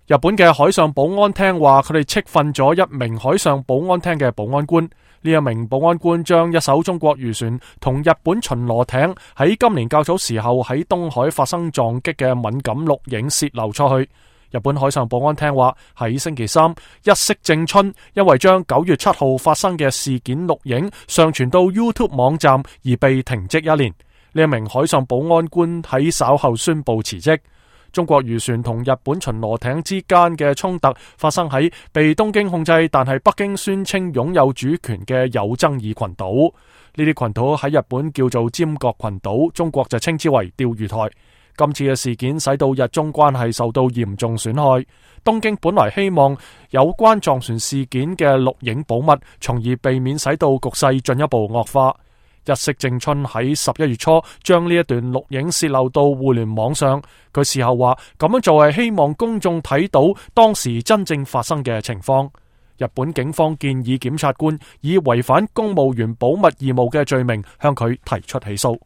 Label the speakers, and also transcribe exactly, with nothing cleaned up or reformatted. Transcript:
Speaker 1: 日本嘅海上保安廳話，佢哋斥訓咗一名海上保安廳嘅保安官。呢一名保安官將一艘中國漁船同日本巡邏艇喺今年較早時候喺東海發生撞擊嘅敏感錄影洩漏出去。日本海上保安廳話，喺星期三，一色正春因為將九月七號發生嘅事件錄影上傳到 YouTube 網站而被停職一年。呢一名海上保安官喺稍後宣布辭職。中國漁船同日本巡邏艇之間嘅衝突發生喺被東京控制，但係北京宣稱擁有主權嘅有爭議群島。呢啲群島喺日本叫做尖閣群島，中國就稱之為釣魚台。今次嘅事件使到日中關係受到嚴重損害。東京本來希望有關撞船事件嘅錄影保密，從而避免使到局勢進一步惡化。日式正春喺十一月初將呢一段錄影洩漏到互聯網上，佢事後話咁樣做係希望公眾睇到當時真正發生嘅情況。日本警方建議檢察官以違反公務員保密義務嘅罪名向佢提出起訴。